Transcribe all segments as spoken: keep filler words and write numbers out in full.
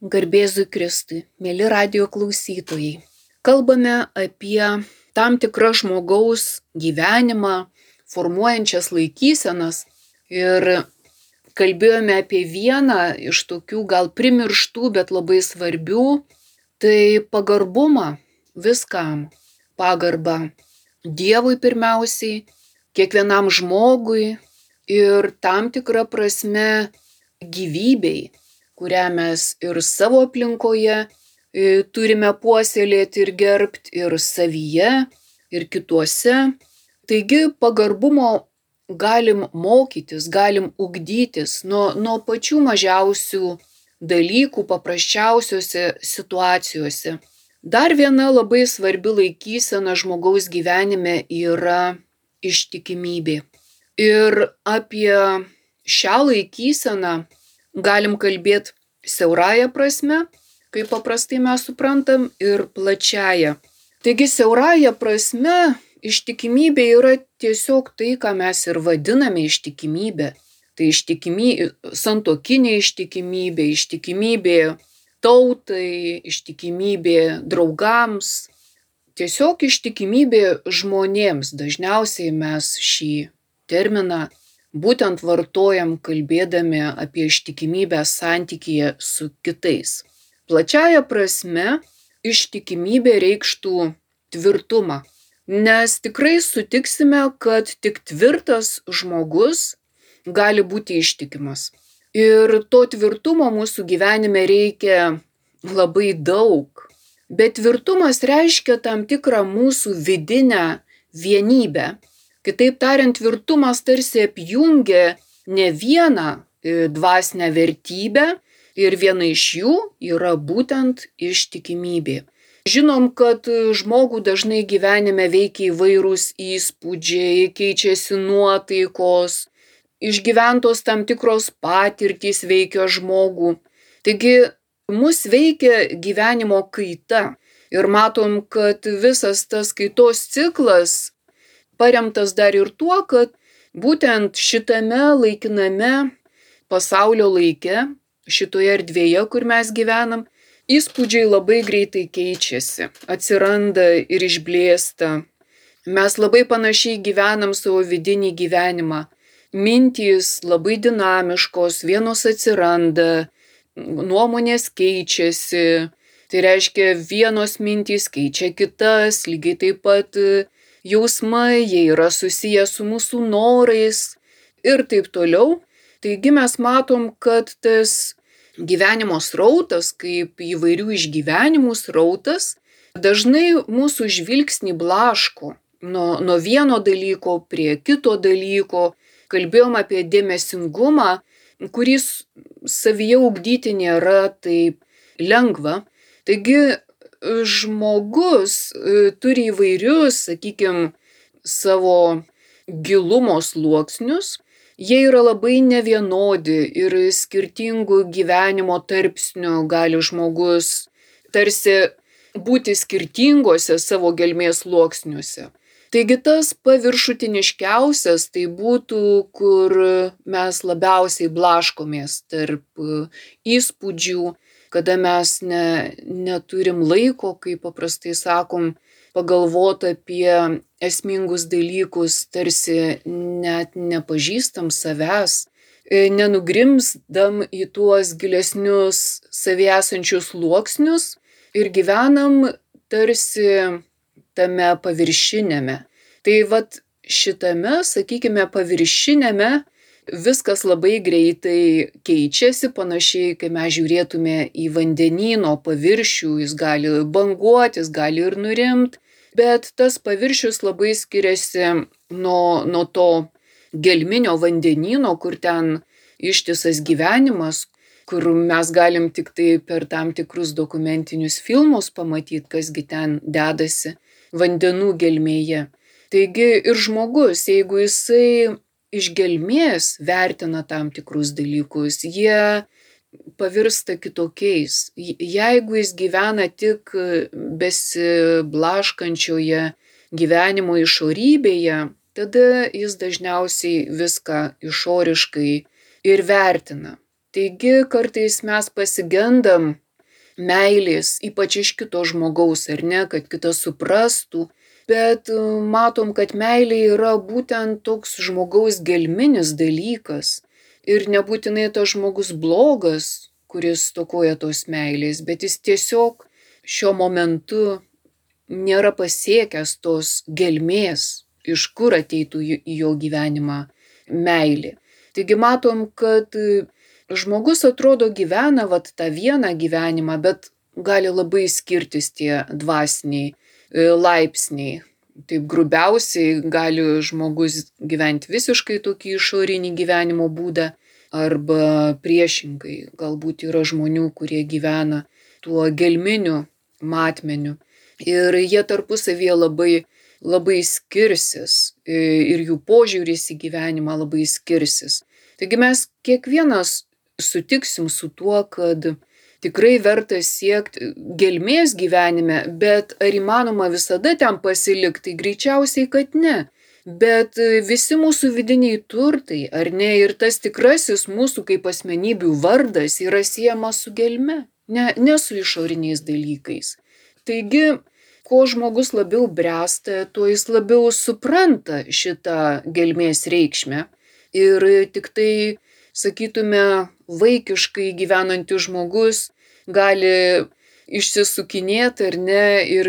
Garbėzui Kristui, mėly radijo klausytojai. Kalbame apie tam tikrą žmogaus gyvenimą, formuojančias laikysenas ir kalbėjome apie vieną iš tokių gal primirštų, bet labai svarbių, tai pagarbumą viskam. Pagarbą Dievui pirmiausiai, kiekvienam žmogui ir tam tikrą prasme gyvybei, kurią mes ir savo aplinkoje turime puoselėti ir gerbti, ir savyje, ir kituose. Taigi pagarbumo galim mokytis, galim ugdytis nuo, nuo pačių mažiausių dalykų, paprasčiausiose situacijose. Dar viena labai svarbi laikysena žmogaus gyvenime yra ištikimybė. Ir apie šią laikyseną galim kalbėti siaurąja prasme, kaip paprastai mes suprantam, ir plačiaja. Taigi siaurąja prasme ištikimybė yra tiesiog tai, ką mes ir vadiname ištikimybė. Tai ištikimybė, santuokinė ištikimybė, ištikimybė tautai, ištikimybė draugams. Tiesiog ištikimybė žmonėms. Dažniausiai mes šį terminą būtent vartojam kalbėdami apie ištikimybę santykyje su kitais. Plačiaja prasme ištikimybė reikštų tvirtumą, nes tikrai sutiksime, kad tik tvirtas žmogus gali būti ištikimas. Ir to tvirtumo mūsų gyvenime reikia labai daug, bet tvirtumas reiškia tam tikrą mūsų vidinę vienybę. Kitaip tariant, tvirtumas tarsi apjungia ne vieną dvasinę vertybę ir viena iš jų yra būtent ištikimybė. Žinom, kad žmogų dažnai gyvenime veikia įvairūs įspūdžiai, keičiasi nuotaikos, išgyventos tam tikros patirtys veikia žmogų. Taigi mus veikia gyvenimo kaita ir matom, kad visas tas kaitos ciklas paremtas dar ir tuo, kad būtent šitame laikiname pasaulio laike, šitoje erdvėje, kur mes gyvenam, įspūdžiai labai greitai keičiasi, atsiranda ir išblėsta. Mes labai panašiai gyvenam savo vidinį gyvenimą. Mintys labai dinamiškos, vienos atsiranda, nuomonės keičiasi. Tai reiškia, vienos mintys keičia kitas, lygiai taip pat jausmai, jie yra susiję su mūsų norais ir taip toliau. Taigi mes matom, kad tas gyvenimo srautas, kaip įvairių išgyvenimų srautas, dažnai mūsų žvilgsnį blaško nuo, nuo vieno dalyko prie kito dalyko. Kalbėjom apie dėmesingumą, kuris savyje ugdyti nėra taip lengva. Taigi žmogus turi įvairius, sakykime, savo gilumo sluoksnius. Jie yra labai nevienodi ir skirtingų gyvenimo tarpsnių gali žmogus tarsi būti skirtingose savo gelmės sluoksniuose. Taigi tas paviršutiniškiausias tai būtų, kur mes labiausiai blaškomės tarp įspūdžių, kada mes ne, neturim laiko, kaip paprastai sakom, pagalvoti apie esmingus dalykus, tarsi net nepažįstam savęs, nenugrimzdam į tuos gilesnius savyje esančius sluoksnius ir gyvenam tarsi tame paviršinėme. Tai vat šitame, sakykime, paviršinėme viskas labai greitai keičiasi, panašiai, kai mes žiūrėtume į vandenyno paviršių, jis gali banguoti, jis gali ir nurimti, bet tas paviršius labai skiriasi nuo, nuo to gelminio vandenyno, kur ten ištisas gyvenimas, kur mes galim tik tai per tam tikrus dokumentinius filmus pamatyti, kasgi ten dedasi vandenų gelmėje. Taigi ir žmogus, jeigu jisai iš gelmės vertina tam tikrus dalykus, jie pavirsta kitokiais. Jeigu jis gyvena tik besiblaškančioje gyvenimo išorybėje, tada jis dažniausiai viską išoriškai ir vertina. Taigi kartais mes pasigendam meilės, ypač iš kito žmogaus, ar ne, kad kitas suprastų. Bet matom, kad meilė yra būtent toks žmogaus gelminis dalykas. Ir nebūtinai tas žmogus blogas, kuris stokoja tos meilės, bet jis tiesiog šiuo momentu nėra pasiekęs tos gelmės, iš kur ateitų į jo gyvenimą meilė. Taigi matom, kad žmogus atrodo gyvena vat tą vieną gyvenimą, bet gali labai skirtis tie dvasiniai laipsniai. Taip grubiausiai gali žmogus gyventi visiškai tokį išorinį gyvenimo būdą, arba priešingai. Galbūt yra žmonių, kurie gyvena tuo gelminiu matmeniu. Ir jie tarpusavyje labai, labai skirsis ir jų požiūris į gyvenimą labai skirsis. Taigi mes kiekvienas sutiksim su tuo, kad tikrai verta siekti gelmės gyvenime, bet ar įmanoma visada ten pasilikti? Tai greičiausiai, kad ne. Bet visi mūsų vidiniai turtai, ar ne, ir tas tikrasis mūsų kaip asmenybių vardas yra siejamas su gelme, ne, ne su išoriniais dalykais. Taigi, kuo žmogus labiau bręsta, tuo jis labiau supranta šitą gelmės reikšmę. Ir tik tai, sakytume, vaikiškai gyvenantis žmogus gali išsisukinėti ar ne ir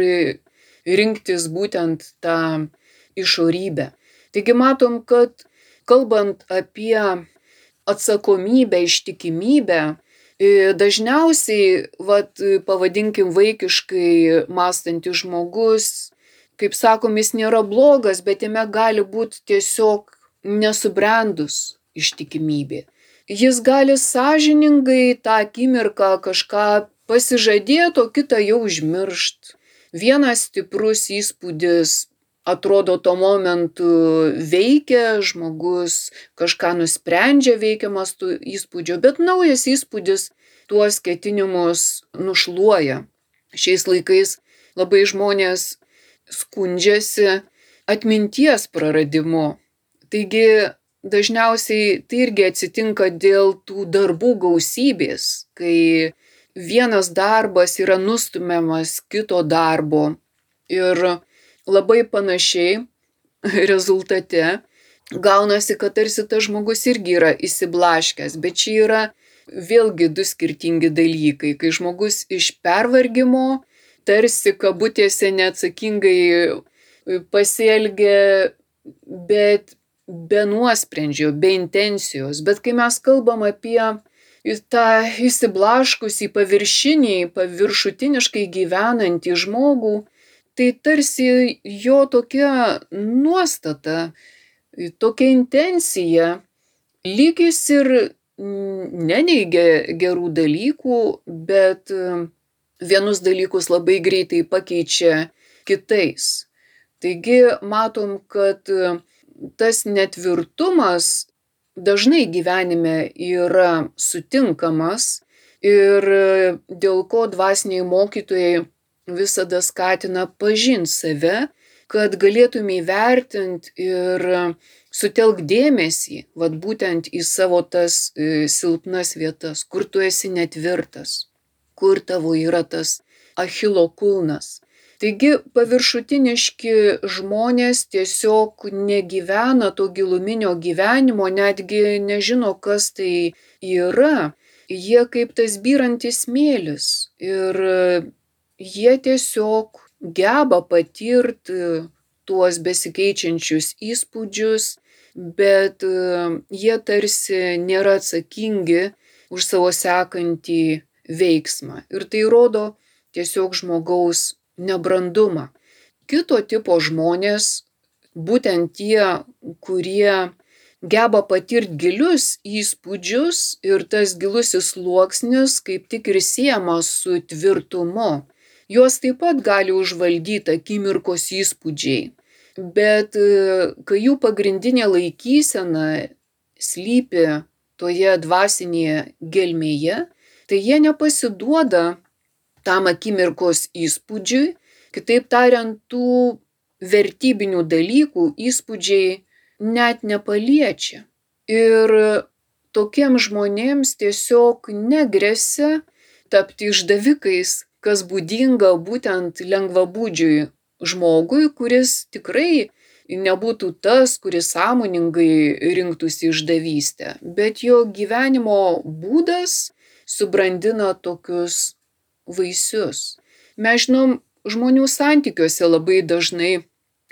rinktis būtent tą išorybę. Taigi matom, kad kalbant apie atsakomybę, ištikimybę, dažniausiai, vat, pavadinkim vaikiškai mąstantis žmogus, kaip sakom, jis nėra blogas, bet jame gali būti tiesiog nesubrendus ištikimybė. Jis gali sąžiningai tą akimirką kažką pasižadėti, o kitą jau užmiršt. Vienas stiprus įspūdis atrodo tuo momentu veikia, žmogus kažką nusprendžia veikiamas tų įspūdžių, bet naujas įspūdis tuos ketinimus nušluoja. Šiais laikais labai žmonės skundžiasi atminties praradimu. Taigi dažniausiai tai irgi atsitinka dėl tų darbų gausybės, kai vienas darbas yra nustumiamas kito darbo ir labai panašiai rezultate gaunasi, kad tarsi tas žmogus irgi yra įsiblaškęs, bet čia yra vėlgi du skirtingi dalykai, kai žmogus iš pervargimo tarsi kabutėse neatsakingai pasielgia, bet be nuosprendžio, be intencijos. Bet kai mes kalbam apie tą įsiblaškusį, paviršinį, paviršutiniškai gyvenantį žmogų, tai tarsi jo tokia nuostata, tokia intencija, lyg jis ir neneigia gerų dalykų, bet vienus dalykus labai greitai pakeičia kitais. Taigi matom, kad tas netvirtumas dažnai gyvenime yra sutinkamas ir dėl ko dvasiniai mokytojai visada skatina pažint save, kad galėtum įvertinti ir sutelk dėmesį, vat būtent į savo tas silpnas vietas, kur tu esi netvirtas, kur tavo yra tas Achilo kulnas. Taigi paviršutiniški žmonės tiesiog negyvena to giluminio gyvenimo, netgi nežino, kas tai yra. Jie kaip tas byrantis smėlis ir jie tiesiog geba patirti tuos besikeičiančius įspūdžius, bet jie tarsi nėra atsakingi už savo sekantį veiksmą. Ir tai rodo tiesiog žmogaus nebrandumą. Kito tipo žmonės, būtent tie, kurie geba patirti gilius įspūdžius ir tas gilusis sluoksnis kaip tik ir siejamas su tvirtumu. Juos taip pat gali užvaldyti akimirkos įspūdžiai, bet kai jų pagrindinė laikysena slypi toje dvasinėje gelmėje, tai jie nepasiduoda tam akimirkos įspūdžiui, kitaip tariant, tų vertybinių dalykų įspūdžiai net nepaliečia. Ir tokiems žmonėms tiesiog negresia tapti išdavikais, kas būdinga būtent lengvabūdžiui žmogui, kuris tikrai nebūtų tas, kuris sąmoningai rinktųsi išdavystę, bet jo gyvenimo būdas subrandina tokius vaisius. Mes žinom, žmonių santykiuose labai dažnai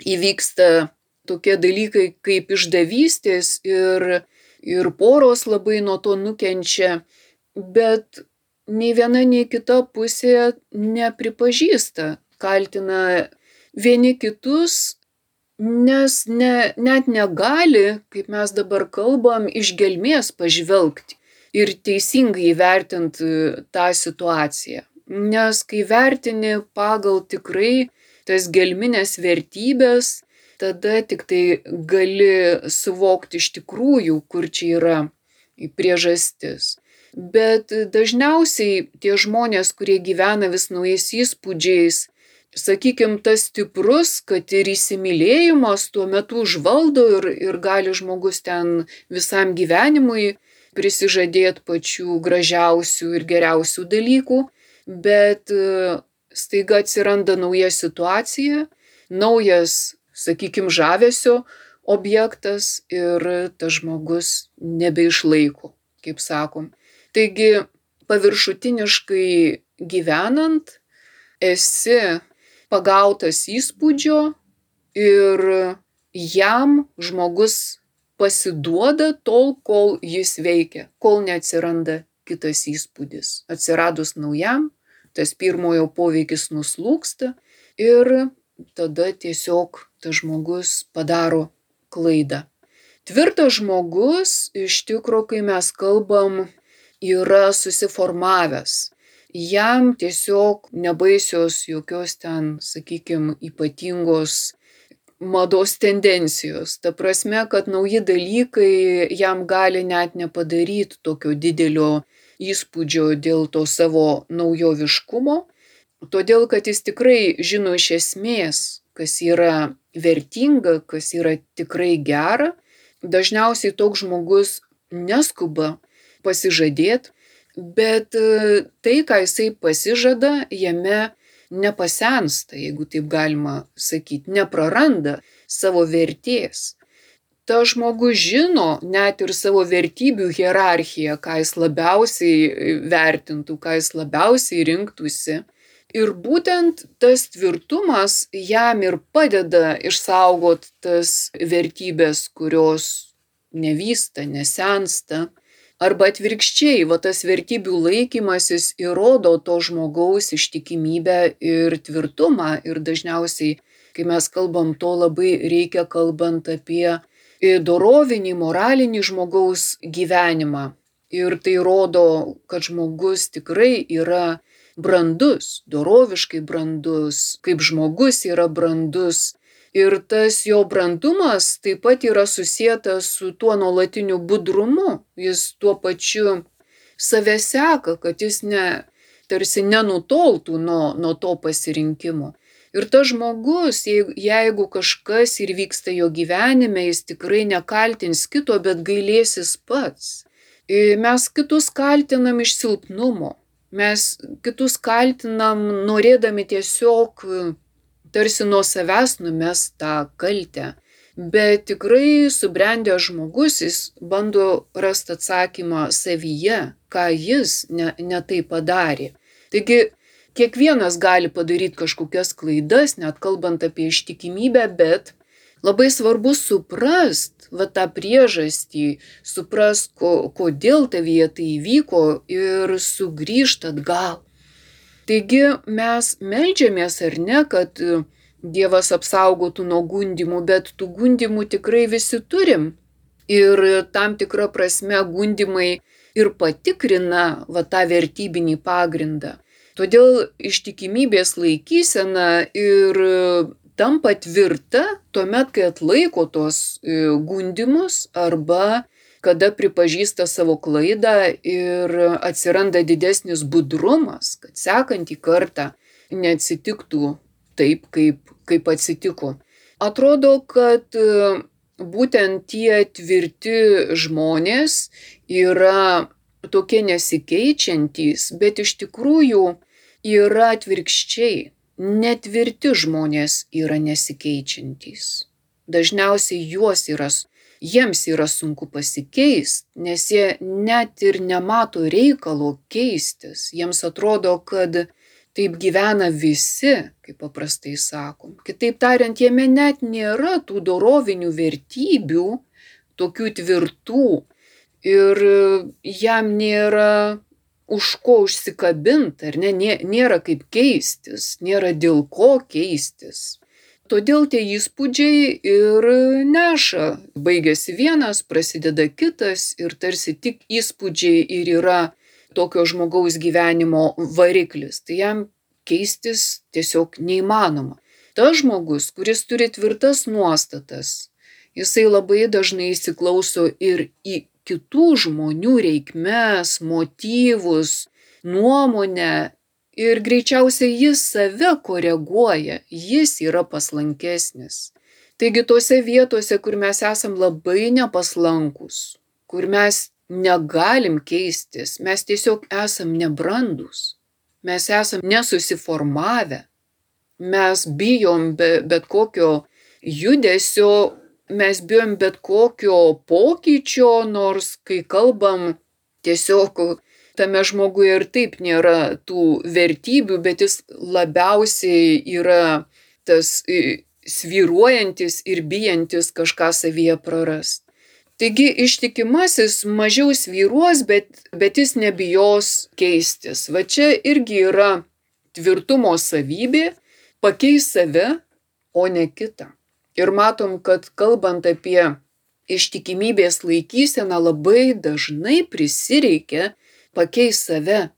įvyksta tokie dalykai kaip išdavystės ir, ir poros labai nuo to nukenčia, bet nei viena, nei kita pusė nepripažįsta, kaltina vieni kitus, nes ne, net negali, kaip mes dabar kalbam, iš gelmės pažvelgti ir teisingai įvertinti tą situaciją. Nes kai vertini pagal tikrai tas gelminės vertybės, tada tik tai gali suvokti iš tikrųjų, kur čia yra priežastis. Bet dažniausiai tie žmonės, kurie gyvena vis naujais įspūdžiais, sakykim, tas stiprus, kad ir įsimylėjimas tuo metu užvaldo ir, ir gali žmogus ten visam gyvenimui prisižadėti pačių gražiausių ir geriausių dalykų, bet staiga atsiranda nauja situacija, naujas, sakykim, žavesio objektas ir tas žmogus nebeišlaiko, kaip sakom. Taigi, paviršutiniškai gyvenant, esi pagautas įspūdžio ir jam žmogus pasiduoda tol, kol jis veikia, kol neatsiranda kitas įspūdis. Atsiradus naujam, tas pirmojo poveikis nuslūgsta ir tada tiesiog tas žmogus padaro klaidą. Tvirtas žmogus, iš tikro, kai mes kalbam, yra susiformavęs. Jam tiesiog nebaisios jokios ten, sakykim, ypatingos mados tendencijos. Ta prasme, kad nauji dalykai jam gali net nepadaryti tokio didelio įspūdžio dėl to savo naujoviškumo, todėl kad jis tikrai žino iš esmės, kas yra vertinga, kas yra tikrai gera. Dažniausiai toks žmogus neskuba pasižadėti, bet tai, ką jisai pasižada, jame nepasensta, jeigu taip galima sakyti, nepraranda savo vertės. Ta žmogus žino net ir savo vertybių hierarchiją, ką jis labiausiai vertintų, ką jis labiausiai rinktųsi. Ir būtent tas tvirtumas jam ir padeda išsaugot tas vertybės, kurios nevysta, nesensta. Arba atvirkščiai, va tas vertybių laikymasis įrodo to žmogaus ištikimybę ir tvirtumą. Ir dažniausiai, kai mes kalbam, to labai reikia, kalbant apie dorovinį, moralinį žmogaus gyvenimą. Ir tai rodo, kad žmogus tikrai yra brandus, doroviškai brandus, kaip žmogus yra brandus. Ir tas jo brandumas taip pat yra susietas su tuo nuolatiniu budrumu. Jis tuo pačiu save seka, kad jis ne, tarsi nenutoltų nuo, nuo to pasirinkimo. Ir tas žmogus, jeigu, jeigu kažkas ir vyksta jo gyvenime, jis tikrai nekaltins kito, bet gailėsis pats. Mes kitus kaltinam iš silpnumo. Mes kitus kaltinam norėdami tiesiog tarsi nuo savęs numest tą kaltę. Bet tikrai subrendęs žmogus, jis bando rasti atsakymą savyje, ką jis ne, ne tai padarė. Taigi, kiekvienas gali padaryti kažkokias klaidas, net kalbant apie ištikimybę, bet labai svarbu suprast va tą priežastį, suprast, ko, kodėl tavyje tai įvyko ir sugrįžt atgal. Taigi mes meldžiamės ar ne, kad Dievas apsaugotų nuo gundymų, bet tų gundymų tikrai visi turim. Ir tam tikra prasme gundymai ir patikrina va tą vertybinį pagrindą. Todėl ištikimybės laikysena ir tampa tvirta tuomet, kai atlaiko tos gundymus arba kada pripažįsta savo klaidą ir atsiranda didesnis budrumas, kad sekantį kartą neatsitiktų taip, kaip, kaip atsitiko. Atrodo, kad būtent tie tvirti žmonės yra tokie nesikeičiantys, bet iš tikrųjų yra atvirkščiai. Netvirti žmonės yra nesikeičiantys. Dažniausiai juos yra, jiems yra sunku pasikeisti, nes jie net ir nemato reikalo keistis. Jiems atrodo, kad taip gyvena visi, kaip paprastai sakom. Kitaip tariant, jame net nėra tų dorovinių vertybių, tokių tvirtų, ir jam nėra už ko užsikabinti, ar ne, nėra kaip keistis, nėra dėl ko keistis. Todėl tie įspūdžiai ir neša. Baigėsi vienas, prasideda kitas ir tarsi tik įspūdžiai ir yra tokio žmogaus gyvenimo variklis. Tai jam keistis tiesiog neįmanoma. Tas žmogus, kuris turi tvirtas nuostatas, jisai labai dažnai įsiklauso ir į kitų žmonių reikmes, motyvus, nuomonę. Ir greičiausiai jis save koreguoja, jis yra paslankesnis. Taigi tose vietose, kur mes esam labai nepaslankus, kur mes negalim keistis, mes tiesiog esam nebrandus, mes esam nesusiformavę, mes bijom be, bet kokio judesio, mes bijom bet kokio pokyčio, nors kai kalbam tiesiog tame žmoguje ir taip nėra tų vertybių, bet jis labiausiai yra tas svyruojantis ir bijantis kažką savyje prarast. Taigi ištikimasis mažiau svyruos, bet, bet jis nebijos keistis. Va čia irgi yra tvirtumo savybė, pakeis save, o ne kitą. Ir matom, kad kalbant apie ištikimybės laikyseną, labai dažnai prisireikia pakeis save.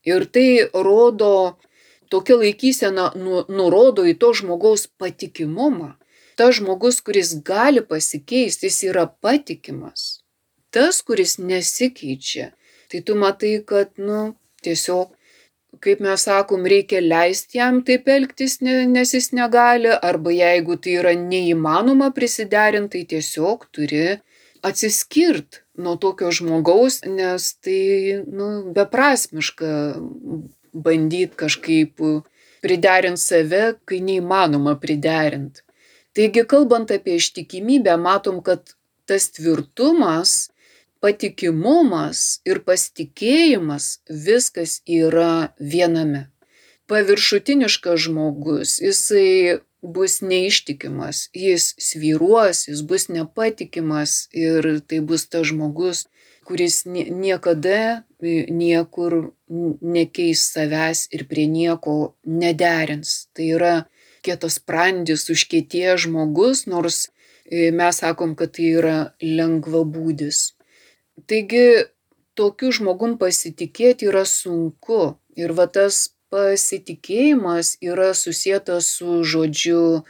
Ir tai rodo, tokia laikysena nu, nurodo į to žmogaus patikimumą. Tas žmogus, kuris gali pasikeisti, jis yra patikimas. Tas, kuris nesikeičia, tai tu matai, kad, nu, tiesiog, kaip mes sakom, reikia leisti jam taip elgtis, nes jis negali, arba jeigu tai yra neįmanoma prisiderinti, tai tiesiog turi atsiskirt nuo tokio žmogaus, nes tai, nu, beprasmiška bandyti kažkaip priderinti save, kai neįmanoma priderinti. Taigi, kalbant apie ištikimybę, matom, kad tas tvirtumas, patikimumas ir pasitikėjimas, viskas yra viename. Paviršutiniškas žmogus, jisai bus neištikimas, jis svyruos, jis bus nepatikimas ir tai bus tas žmogus, kuris niekada niekur nekeis savęs ir prie nieko nederins. Tai yra kietasprandis, užkietėjęs žmogus, nors mes sakom, kad tai yra lengvabūdis. Taigi, tokiu žmogum pasitikėti yra sunku. Ir va tas pasitikėjimas yra susietas su žodžiu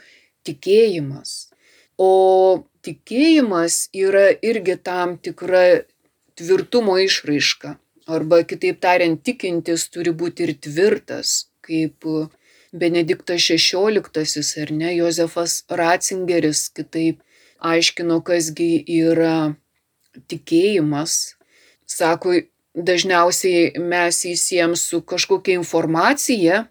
tikėjimas. O tikėjimas yra irgi tam tikra tvirtumo išraiška. Arba kitaip tariant, tikintis turi būti ir tvirtas, kaip Benediktas šešioliktasis, ar ne, Jozefas Ratzingeris kitaip aiškino, kasgi yra tikėjimas. Sako, dažniausiai mes jį siejam su kažkokia informacija,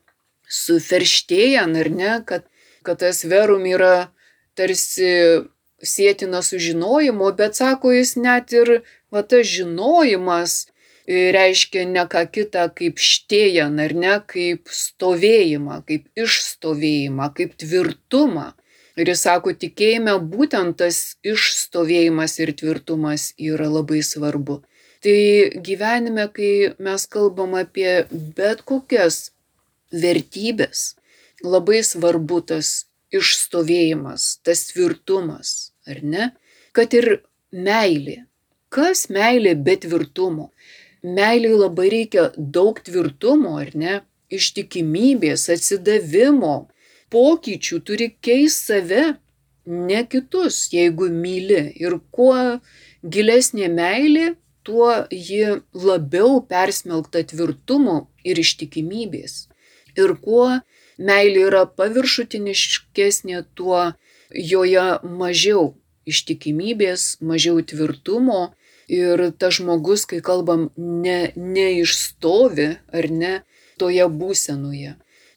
su verstehen, ar ne, kad, kad tas verum yra tarsi sietina su žinojimu, bet sako jis net ir va, tas žinojimas reiškia ne ką kitą kaip štėjan, ar ne, kaip stovėjimą, kaip išstovėjimą, kaip tvirtumą. Ir jis sako, tikėjime būtent tas išstovėjimas ir tvirtumas yra labai svarbu. Tai gyvenime, kai mes kalbam apie bet kokias vertybės, labai svarbu tas išstovėjimas, tas tvirtumas, ar ne? Kad ir meilė. Kas meilė be tvirtumo? Meilei labai reikia daug tvirtumo, ar ne? Ištikimybės, atsidavimo, pokyčių, turi keisti save, ne kitus, jeigu myli. Ir kuo gilesnė meilė, tuo ji labiau persmelkta tvirtumo ir ištikimybės. Ir kuo meilė yra paviršutiniškesnė, tuo joje mažiau ištikimybės, mažiau tvirtumo Ir tas žmogus, kai kalbam, ne, neišstovi ar ne toje būsenoje.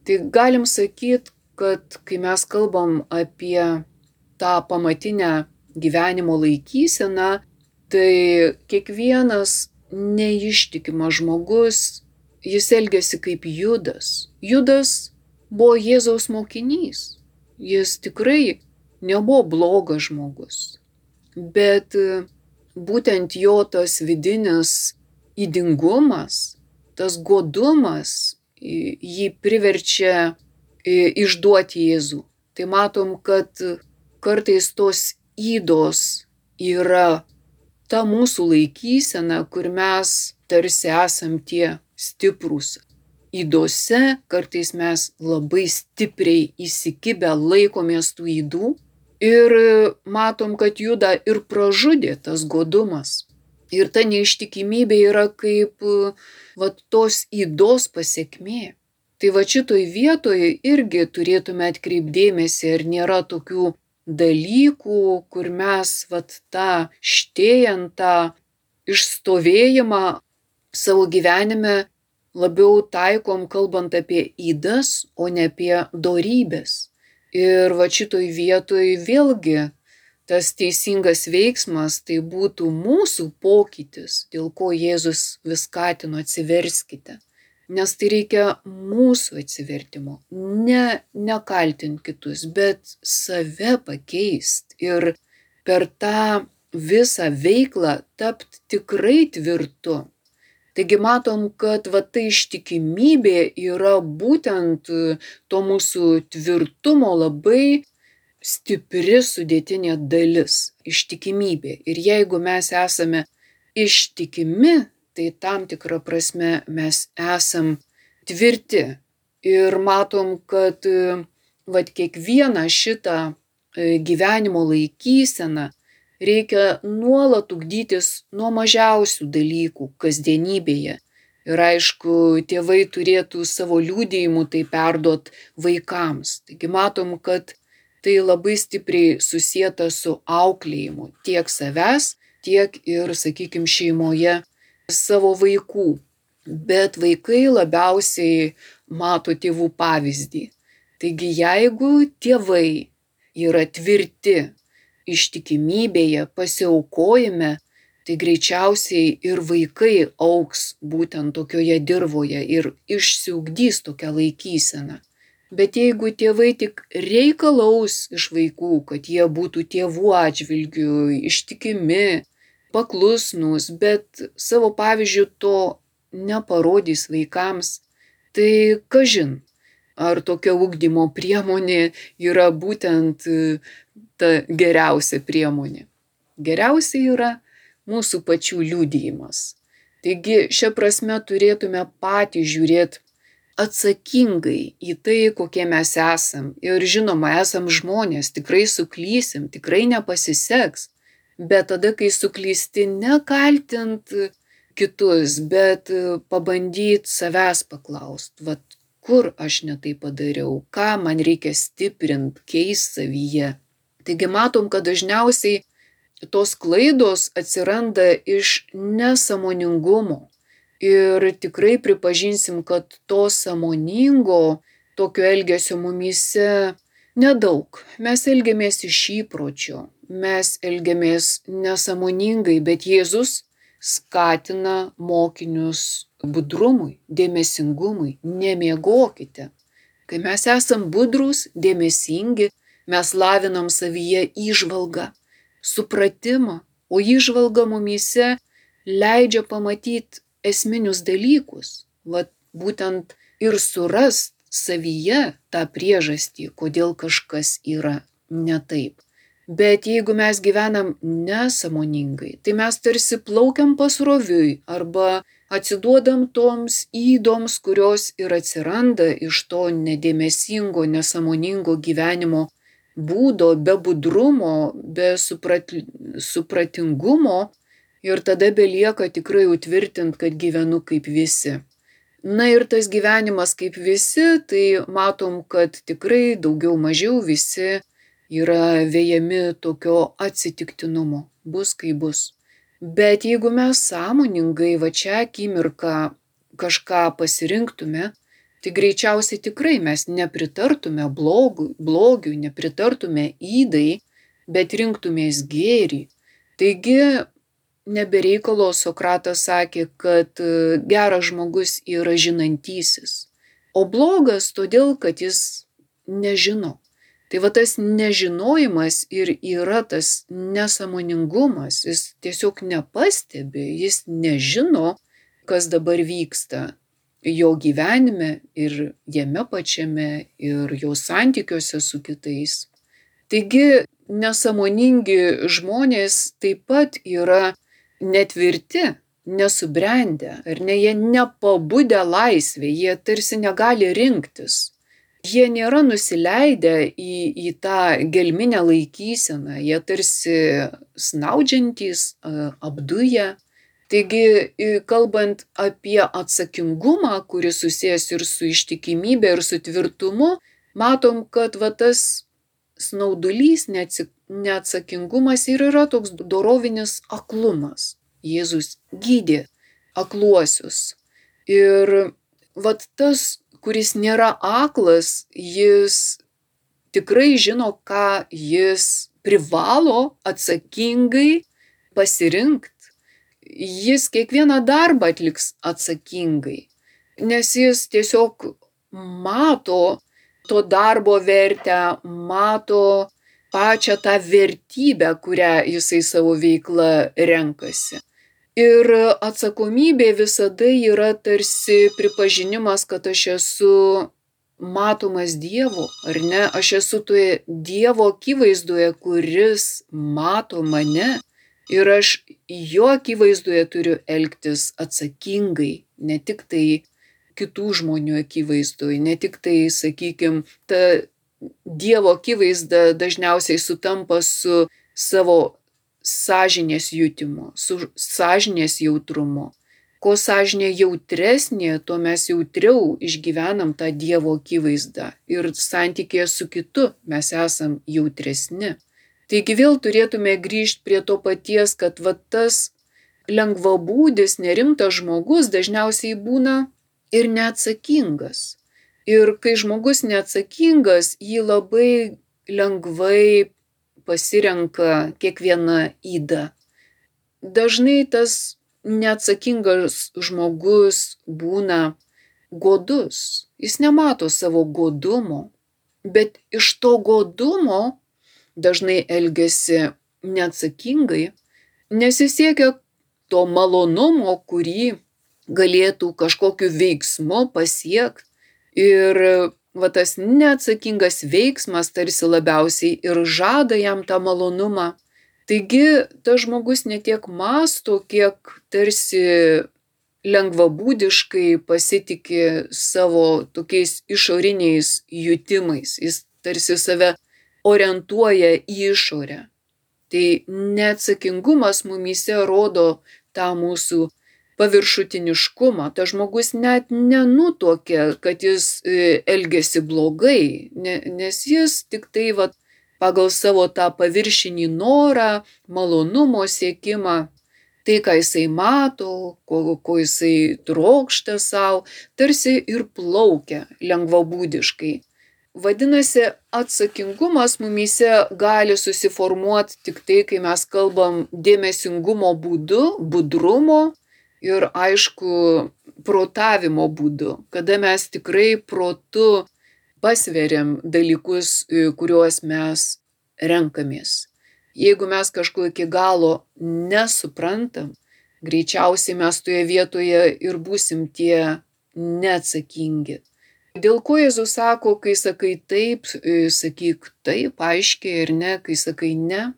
Tai galim sakyti, kad kai mes kalbam apie tą pamatinę gyvenimo laikyseną, tai kiekvienas neištikimas žmogus, jis elgiasi kaip Judas. Judas buvo Jėzaus mokinys. Jis tikrai nebuvo blogas žmogus. Bet būtent jo tas vidinis ydingumas, tas godumas jį priverčia išduoti Jėzų. Tai matom, kad kartais tos ydos yra ta mūsų laikysena, kur mes tarsi esam tie stiprūs. Ydose kartais mes labai stipriai įsikibę laikomės tų ydų ir matom, kad Judą ir pražudė tas godumas. Ir ta neištikimybė yra kaip va, tos ydos pasekmė. Tai va šitoj vietoje irgi turėtume atkreipdėmėsi, ar nėra tokių dalykų, kur mes vat, tą štėjant, tą išstovėjimą savo gyvenime labiau taikom, kalbant apie ydas, o ne apie dorybės. Ir va šitoj vietoj vėlgi tas teisingas veiksmas tai būtų mūsų pokytis, dėl ko Jėzus vis skatino atsiverskite. Nes tai reikia mūsų atsivertimo, ne nekaltinti kitus, bet save pakeisti ir per tą visą veiklą tapti tikrai tvirtu. Taigi matom, kad va ta ištikimybė yra būtent to mūsų tvirtumo labai stipri sudėtinė dalis, ištikimybė. Ir jeigu mes esame ištikimi, tai tam tikrą prasme mes esam tvirti. Ir matom, kad vat, kiekvieną šitą gyvenimo laikyseną reikia nuolat ugdytis nuo mažiausių dalykų kasdienybėje. Ir aišku, tėvai turėtų savo liudijimu tai perduot vaikams. Taigi matom, kad tai labai stipriai susieta su auklėjimu tiek savęs, tiek ir, sakykim, šeimoje savo vaikų. Bet vaikai labiausiai mato tėvų pavyzdį. Taigi jeigu tėvai yra tvirti ištikimybėje, pasiaukojime, tai greičiausiai ir vaikai augs būtent tokioje dirvoje ir išsiugdys tokią laikyseną. Bet jeigu tėvai tik reikalaus iš vaikų, kad jie būtų tėvų atžvilgiu ištikimi, paklusnūs, bet savo pavyzdžiu to neparodys vaikams, tai kažin, ar tokia ugdymo priemonė yra būtent ta geriausia priemonė. Geriausia yra mūsų pačių liudijimas. Taigi šia prasme turėtume patys žiūrėti atsakingai į tai, kokie mes esam. Ir žinoma, esam žmonės, tikrai suklysim, tikrai nepasiseks. Bet tada, kai suklysti, nekaltint kitus, bet pabandyt savęs paklaust, vat kur aš ne tai padariau, ką man reikia stiprint, keist savyje. Taigi matom, kad dažniausiai tos klaidos atsiranda iš nesąmoningumo. Ir tikrai pripažinsim, kad to sąmoningo tokio elgesio mumyse nedaug. Mes elgiamės iš įpročio, mes elgiamės nesąmoningai, bet Jėzus skatina mokinius budrumui, dėmesingumui, nemiegokite. Kai mes esam budrūs, dėmesingi, mes lavinam savyje įžvalgą, supratimą, o įžvalga mumyse leidžia pamatyti esminius dalykus, vat būtent ir surast savyje tą priežastį, kodėl kažkas yra ne taip. Bet jeigu mes gyvenam nesąmoningai, tai mes tarsi plaukiam pasroviui arba atsiduodam toms ydoms, kurios ir atsiranda iš to nedėmesingo, nesąmoningo gyvenimo būdo, be budrumo, be suprat, supratingumo ir tada belieka tikrai utvirtint, kad gyvenu kaip visi. Na ir tas gyvenimas kaip visi, tai matom, kad tikrai daugiau mažiau visi yra vejami tokio atsitiktinumo, bus kaip bus. Bet jeigu mes sąmoningai va čia akimirką kažką pasirinktume, tai greičiausiai tikrai mes nepritartume blogui, blogiui, nepritartume ydai, bet rinktumės gėrį. Taigi, nebereikalo Sokratas sakė, kad geras žmogus yra žinantysis, o blogas todėl, kad jis nežino. Tai va tas nežinojimas ir yra tas nesąmoningumas, jis tiesiog nepastebi, jis nežino, kas dabar vyksta jo gyvenime ir jame pačiame ir jo santykiuose su kitais. Taigi nesąmoningi žmonės taip pat yra netvirti, nesubrendę, ar ne, jie nepabudę laisvė, jie tarsi negali rinktis. Jie nėra nusileidę į, į tą gelminę laikyseną, jie tarsi snaudžiantys, apduję. Taigi, kalbant apie atsakingumą, kuris susijęs ir su ištikimybė, ir su tvirtumu, matom, kad va tas snaudulys, neatsakingumas ir yra toks dorovinis aklumas. Jėzus gydė akluosius. Ir vat tas, kuris nėra aklas, jis tikrai žino, ką jis privalo atsakingai pasirinkti. Jis kiekvieną darbą atliks atsakingai, nes jis tiesiog mato to darbo vertę, mato pačią tą vertybę, kurią jisai savo veiklą renkasi. Ir atsakomybė visada yra tarsi pripažinimas, kad aš esu matomas Dievo, ar ne? Aš esu toje Dievo akivaizdoje, kuris mato mane ir aš jo akivaizdoje turiu elgtis atsakingai, ne tik tai kitų žmonių akivaizdoje, ne tik tai, sakykime, ta Dievo akivaizda dažniausiai sutampa su savo sąžinės jutimu, su sąžinės jautrumu. Ko sąžinė jautresnė, to mes jautriau išgyvenam tą Dievo akivaizdą ir santykėje su kitu mes esam jautresni. Taigi vėl turėtume grįžti prie to paties, kad va tas lengvabūdis, nerimtas žmogus dažniausiai būna ir neatsakingas. Ir kai žmogus neatsakingas, jį labai lengvai pasirenka kiekvieną ydą. Dažnai tas neatsakingas žmogus būna godus. Jis nemato savo godumo, bet iš to godumo dažnai elgiasi neatsakingai, nes jis siekia to malonumo, kurį galėtų kažkokiu veiksmu pasiekti. Ir va tas neatsakingas veiksmas tarsi labiausiai ir žada jam tą malonumą. Taigi, tas žmogus ne tiek mąsto, kiek tarsi lengvabūdiškai pasitiki savo tokiais išoriniais jutimais. Jis tarsi save orientuoja į išorę. Tai neatsakingumas mumyse rodo tą mūsų paviršutiniškumą. Tas žmogus net nenutuokia, kad jis elgiasi blogai, nes jis tik tai va, pagal savo tą paviršinį norą, malonumo siekimą, tai, ką jisai mato, ko, ko jisai trokšta savo, tarsi ir plaukia lengvabūdiškai. Vadinasi, atsakingumas mumyse gali susiformuoti tik tai, kai mes kalbam dėmesingumo būdu, budrumo, ir aišku, protavimo būdu, kada mes tikrai protu pasveriam dalykus, kuriuos mes renkamės. Jeigu mes kažko iki galo nesuprantam, greičiausiai mes toje vietoje ir būsim tie neatsakingi. Dėl ko Jėzus sako, kai sakai taip, sakyk taip, aiškiai ir ne, kai sakai ne,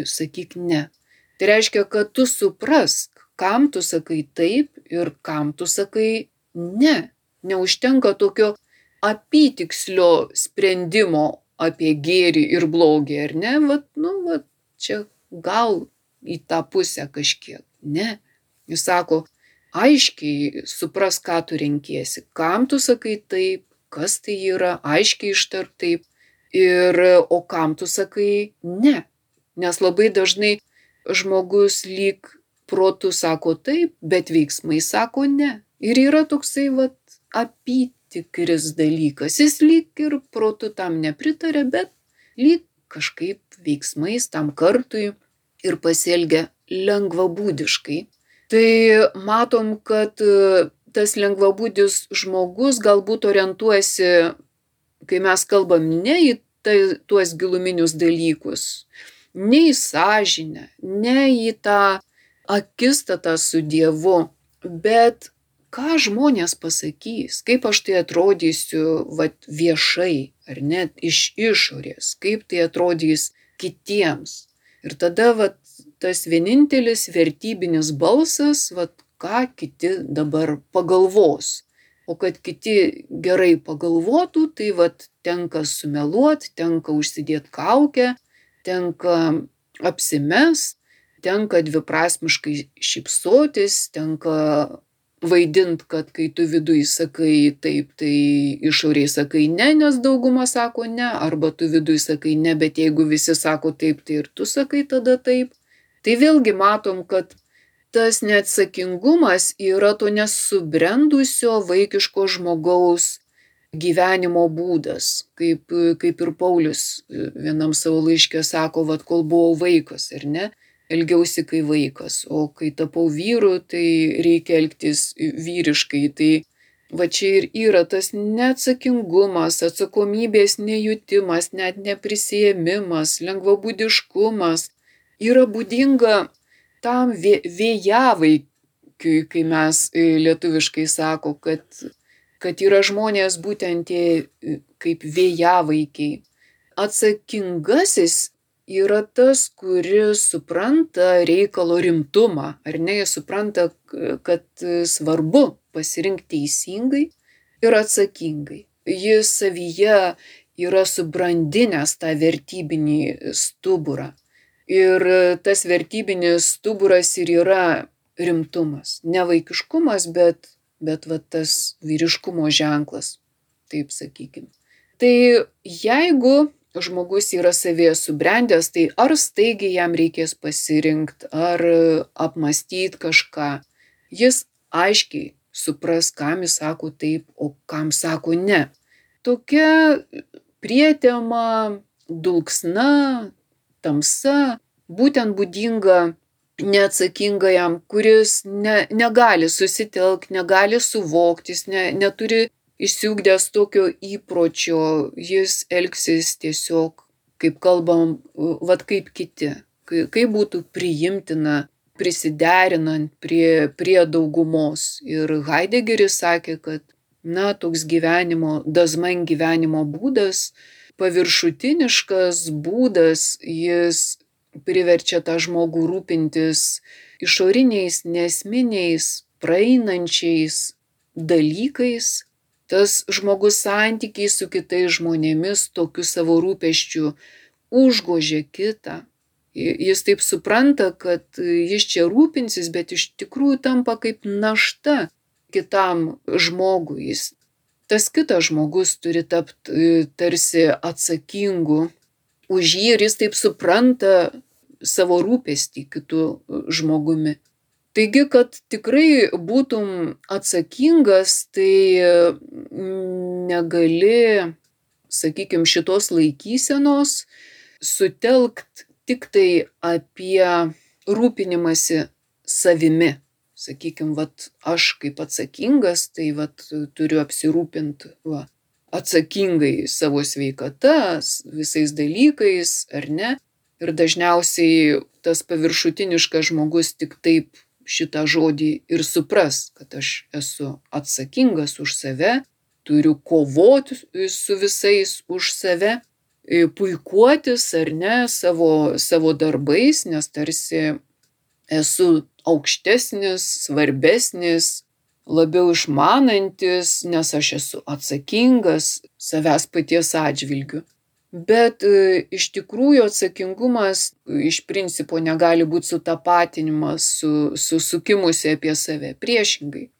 sakyk ne. Tai reiškia, kad tu suprask, kam tu sakai taip ir kam tu sakai ne. Neužtenka tokio apytikslio sprendimo apie gėrį ir blogį, ar ne? Vat, nu, vat, čia gal į tą pusę kažkiek. Ne. Jis sako, aiškiai supras, ką tu renkiesi, kam tu sakai taip, kas tai yra, aiškiai ištark taip, ir, o kam tu sakai ne. Nes labai dažnai žmogus lyg protu sako taip, bet veiksmai sako ne. Ir yra toksai vat apytikris dalykas. Jis lyg ir protu tam nepritarė, bet lyg kažkaip veiksmais tam kartui ir pasielgia lengvabūdiškai. Tai matom, kad tas lengvabūdis žmogus galbūt orientuojasi, kai mes kalbam ne į tai, tuos giluminius dalykus, ne į sąžinę, ne į tą akistatą su Dievu, bet ką žmonės pasakys, kaip aš tai atrodysiu vat, viešai, ar net iš išorės, kaip tai atrodys kitiems. Ir tada vat, tas vienintelis vertybinis balsas, vat, ką kiti dabar pagalvos. O kad kiti gerai pagalvotų, tai vat, tenka sumeluot, tenka užsidėti kaukę, tenka apsimest, tenka dviprasmiškai šypsotis, tenka vaidint, kad kai tu viduj sakai taip, tai išoriai sakai ne, nes dauguma sako ne, arba tu viduj sakai ne, bet jeigu visi sako taip, tai ir tu sakai tada taip. Tai vėlgi matom, kad tas neatsakingumas yra to nesubrendusio vaikiško žmogaus gyvenimo būdas, kaip, kaip ir Paulius vienam savo laiške sako, vat kol buvau vaikas, ar ne, elgiausi kai vaikas, o kai tapau vyru, tai reikia elgtis vyriškai. Tai va čia ir yra tas neatsakingumas, atsakomybės nejutimas, net neprisiėmimas, lengvabūdiškumas yra būdinga tam vėjavaikiui, kai mes lietuviškai sako, kad, kad yra žmonės būtent tie kaip vėjavaikiai. Atsakingasis yra tas, kuris supranta reikalo rimtumą, ar ne, jis supranta, kad svarbu pasirinkti teisingai ir atsakingai. Jis savyje yra subrandinęs tą vertybinį stuburą. Ir tas vertybinis stuburas ir yra rimtumas. Ne vaikiškumas, bet, bet va, tas vyriškumo ženklas, taip sakykim. Tai jeigu žmogus yra savyje subrendęs, tai ar staigiai jam reikės pasirinkti, ar apmąstyti kažką. Jis aiškiai supras, kam jis sako taip, o kam sako ne. Tokia prietema, dulksna, tamsa, būtent būdinga neatsakingajam, kuris ne, negali susitelkti, negali suvokti, jis ne, neturi išsiugdęs tokio įpročio, jis elgsis tiesiog, kaip kalbam, vat kaip kiti, kaip būtų priimtina, prisiderinant prie, prie daugumos. Ir Haidegeris sakė, kad na, toks gyvenimo, dazman gyvenimo būdas, paviršutiniškas būdas, jis priverčia tą žmogų rūpintis išoriniais, nesminiais, praeinančiais dalykais. Tas žmogus santykiai su kitais žmonėmis tokiu savo rūpesčiu užgožia kitą. Jis taip supranta, kad jis čia rūpinsis, bet iš tikrųjų tampa kaip našta kitam žmogui. Jis Tas kitas žmogus turi tapti tarsi atsakingu už jį ir jis taip supranta savo rūpestį kitų žmogumi. Taigi, kad tikrai būtum atsakingas, tai negali, sakykime, šitos laikysenos sutelkt tik tai apie rūpinimąsi savimi. Sakykime, vat, aš kaip atsakingas, tai vat, turiu apsirūpinti va, atsakingai savo sveikata, visais dalykais, ar ne. Ir dažniausiai tas paviršutiniškas žmogus tik taip šitą žodį ir supras, kad aš esu atsakingas už save, turiu kovoti su visais už save, puikuotis ar ne savo, savo darbais, nes tarsi esu aukštesnis, svarbesnis, labiau išmanantis, nes aš esu atsakingas savęs paties atžvilgiu. Bet e, iš tikrųjų atsakingumas iš principo negali būti sutapatinimas su, su sukimusi apie save. Priešingai.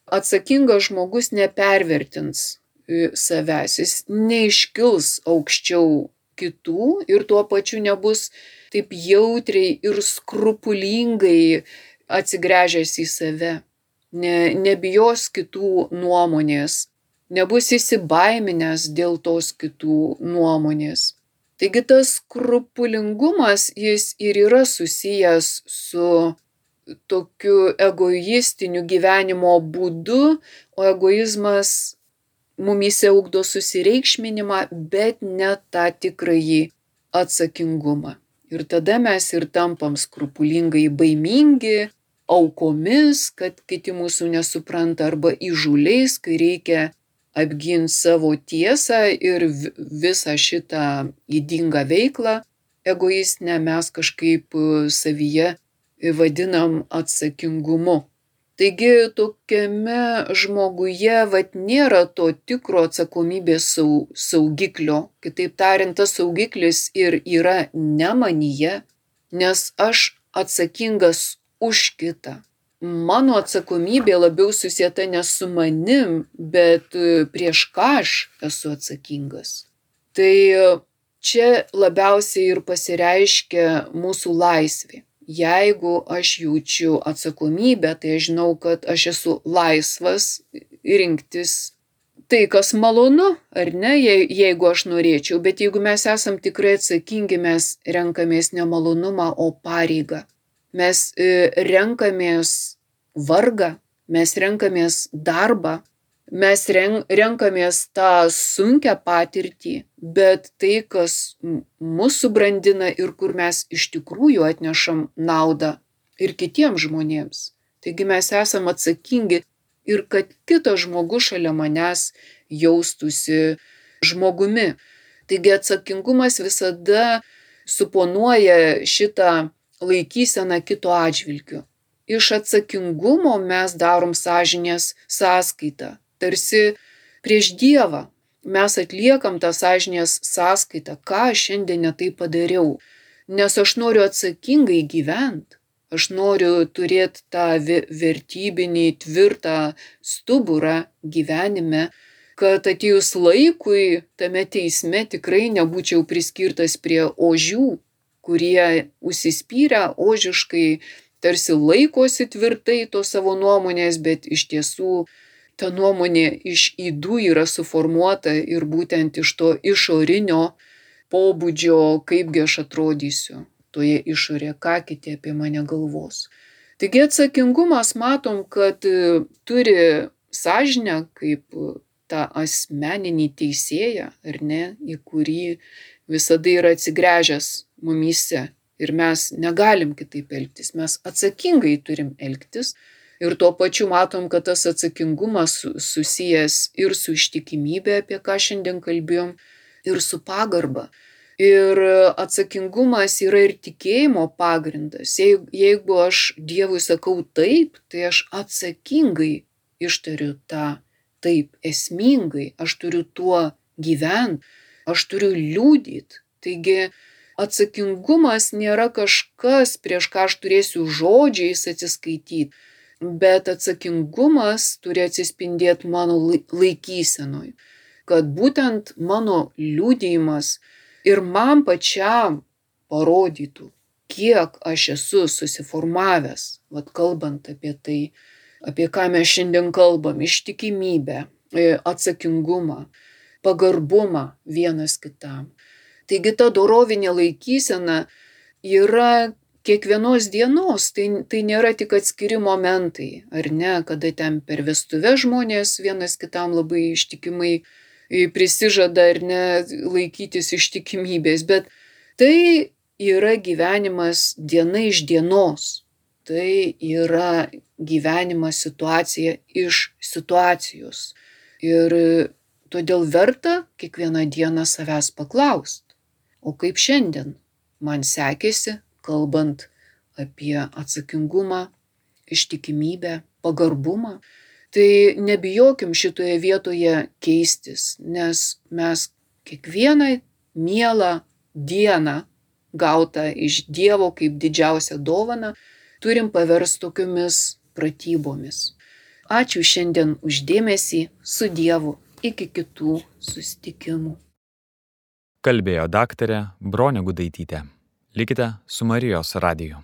Atsakingas žmogus nepervertins e, savęs, jis neiškils aukščiau kitų ir tuo pačiu nebus taip jautriai ir skrupulingai atsigręžęs į save, ne, nebijos kitų nuomonės, nebus įsibaiminęs dėl tos kitų nuomonės. Taigi tas skrupulingumas, jis ir yra susijęs su tokiu egoistiniu gyvenimo būdu, o egoizmas mumyse ugdo susireikšminimą, bet ne tą tikrąjį atsakingumą. Ir tada mes ir tampam skrupulingai baimingi, aukomis, kad kiti mūsų nesupranta, arba įžūliais, kai reikia apginti savo tiesą, ir visą šitą ydingą veiklą egoistinę mes kažkaip savyje vadinam atsakingumu. Taigi tokiame žmoguje vat nėra to tikro atsakomybės sau, saugiklio. Kitaip tariant, tas saugiklis ir yra ne manyje, nes aš atsakingas už kitą. Mano atsakomybė labiau susieta ne su manim, bet prieš ką aš esu atsakingas. Tai čia labiausiai ir pasireiškia mūsų laisvė. Jeigu aš jaučiu atsakomybę, tai aš žinau, kad aš esu laisvas rinktis tai, kas malonu, ar ne, jeigu aš norėčiau. Bet jeigu mes esam tikrai atsakingi, mes renkamės ne malonumą, o pareigą. Mes renkamės vargą, mes renkamės darbą, mes renkamės tą sunkią patirtį, bet tai, kas mus subrandina ir kur mes iš tikrųjų atnešam naudą ir kitiems žmonėms. Taigi mes esam atsakingi ir kad kitas žmogus šalia manęs jaustųsi žmogumi. Taigi atsakingumas visada suponuoja šitą laikyseną kito atžvilgiu. Iš atsakingumo mes darom sąžinės sąskaitą. Tarsi prieš Dievą mes atliekam tą sąžinės sąskaitą, ką šiandien netai padariau. Nes aš noriu atsakingai gyventi, aš noriu turėti tą vertybinį tvirtą stuburą gyvenime, kad atėjus laikui tame teisme tikrai nebūčiau priskirtas prie ožių, kurie užsispyrę ožiškai tarsi laikosi tvirtai to savo nuomonės, bet iš tiesų ta nuomonė iš ydų yra suformuota ir būtent iš to išorinio pobūdžio, kaipgi aš atrodysiu toje išorėje, ką kiti apie mane galvos. Taigi atsakingumas matom, kad turi sąžinę kaip tą asmeninį teisėją, ar ne, į kurį visada yra atsigręžęs mumyse. Ir mes negalim kitaip elgtis, mes atsakingai turim elgtis. Ir tuo pačiu matom, kad tas atsakingumas susijęs ir su ištikimybė, apie ką šiandien kalbėjom, ir su pagarba. Ir atsakingumas yra ir tikėjimo pagrindas. Jeigu aš Dievui sakau taip, tai aš atsakingai ištariu tą taip, esmingai. Aš turiu tuo gyventi, aš turiu liudyti. Taigi atsakingumas nėra kažkas, prieš ką aš turėsiu žodžiais atsiskaityti. Bet atsakingumas turi atsispindėti mano laikysenoj, kad būtent mano liudijimas ir man pačiam parodytų, kiek aš esu susiformavęs, vat kalbant apie tai, apie ką mes šiandien kalbam, ištikimybę, atsakingumą, pagarbumą vienas kitam. Taigi ta dorovinė laikysena yra kiekvienos dienos, tai, tai nėra tik atskiri momentai, ar ne, kada ten per vestuves žmonės vienas kitam labai ištikimai prisižada, ar ne, laikytis ištikimybės, bet tai yra gyvenimas diena iš dienos, tai yra gyvenimas situacija iš situacijos. Ir todėl verta kiekvieną dieną savęs paklaust, o kaip šiandien man sekėsi, kalbant apie atsakingumą, ištikimybę, pagarbumą, tai nebijokim šitoje vietoje keistis, nes mes kiekvieną mielą dieną gautą iš Dievo kaip didžiausią dovaną turim paversti tokiomis pratybomis. Ačiū šiandien už dėmesį, su Dievu, iki kitų susitikimų. Kalbėjo daktarė Bronė Gudaitytė. Likite su Marijos radiju.